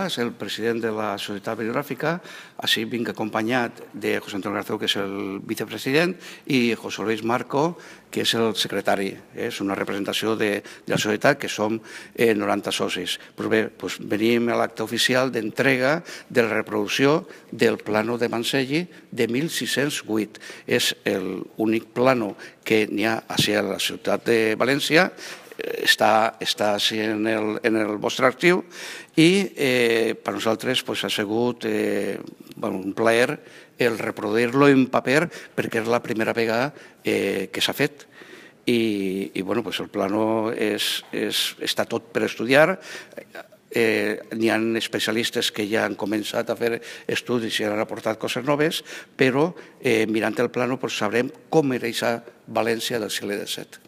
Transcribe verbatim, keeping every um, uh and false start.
és el president de la Societat Bibliogràfica, així vinc acompanyat de José Antonio Garzón, que és el vicepresident, i José Luis Marco, que és el secretari. És una representació de la societat, que som noranta socis. Doncs bé, venim a l'acte oficial d'entrega de la reproducció del plano de Manselli de mil sis-cents vuit. És l'únic plano que n'hi ha a la ciutat de València, està així en el vostre arxiu i per nosaltres ha sigut un plaer el reproduir-lo en paper perquè és la primera vegada que s'ha fet. I el plano està tot per estudiar. N'hi ha especialistes que ja han començat a fer estudis i han aportat coses noves, però mirant el plano sabrem com era aquesta València del segle disset.